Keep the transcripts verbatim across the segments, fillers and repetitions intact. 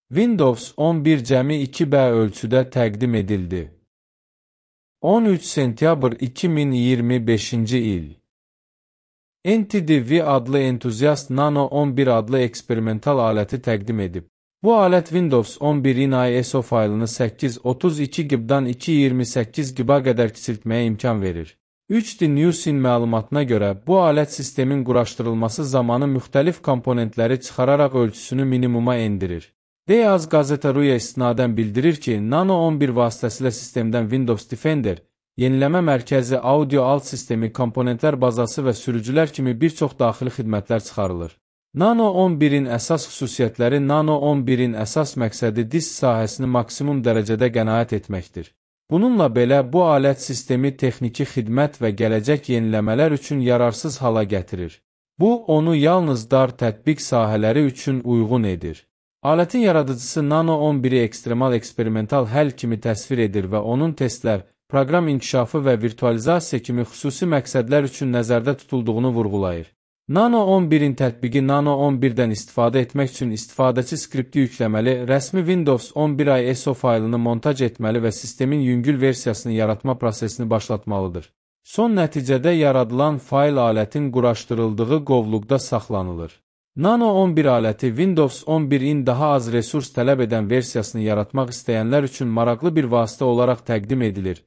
Windows on bir cəmi iki B ölçüdə təqdim edildi. on üç sentyabr iki min iyirmi beşinci il. N T D V adlı entuziast Nano on bir adlı eksperimental aləti təqdim edib. Bu alət Windows on birin I S O faylını səkkiz yüz otuz iki gigabaytdan iki yüz iyirmi səkkiz gigabayta qədər kiçiltməyə imkan verir. üç D Newsin məlumatına görə, bu alət sistemin quraşdırılması zamanı müxtəlif komponentləri çıxararaq ölçüsünü minimuma endirir. Deyaz Gazeta.ru-ya istinadən bildirir ki, Nano on bir vasitəsilə sistemdən Windows Defender, yeniləmə mərkəzi, audio alt sistemi, komponentlər bazası və sürücülər kimi bir çox daxili xidmətlər çıxarılır. Nano on birin əsas xüsusiyyətləri Nano on birin əsas məqsədi disk sahəsini maksimum dərəcədə qənaət etməkdir. Bununla belə, bu alət sistemi texniki xidmət və gələcək yeniləmələr üçün yararsız hala gətirir. Bu, onu yalnız dar tətbiq sahələri üçün uyğun edir. Alətin yaradıcısı Nano on biri ekstremal eksperimental həll kimi təsvir edir və onun testlər, proqram inkişafı və virtualizasiya kimi xüsusi məqsədlər üçün nəzərdə tutulduğunu vurğulayır. Nano on birin tətbiqi Nano on birdən istifadə etmək üçün istifadəçi skripti yükləməli, rəsmi Windows on bir I S O faylını montaj etməli və sistemin yüngül versiyasını yaratma prosesini başlatmalıdır. Son nəticədə yaradılan fayl alətin quraşdırıldığı qovluqda saxlanılır. Nano on bir aləti Windows on birin daha az resurs tələb edən versiyasını yaratmaq istəyənlər üçün maraqlı bir vasitə olaraq təqdim edilir,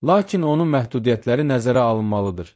lakin onun məhdudiyyətləri nəzərə alınmalıdır.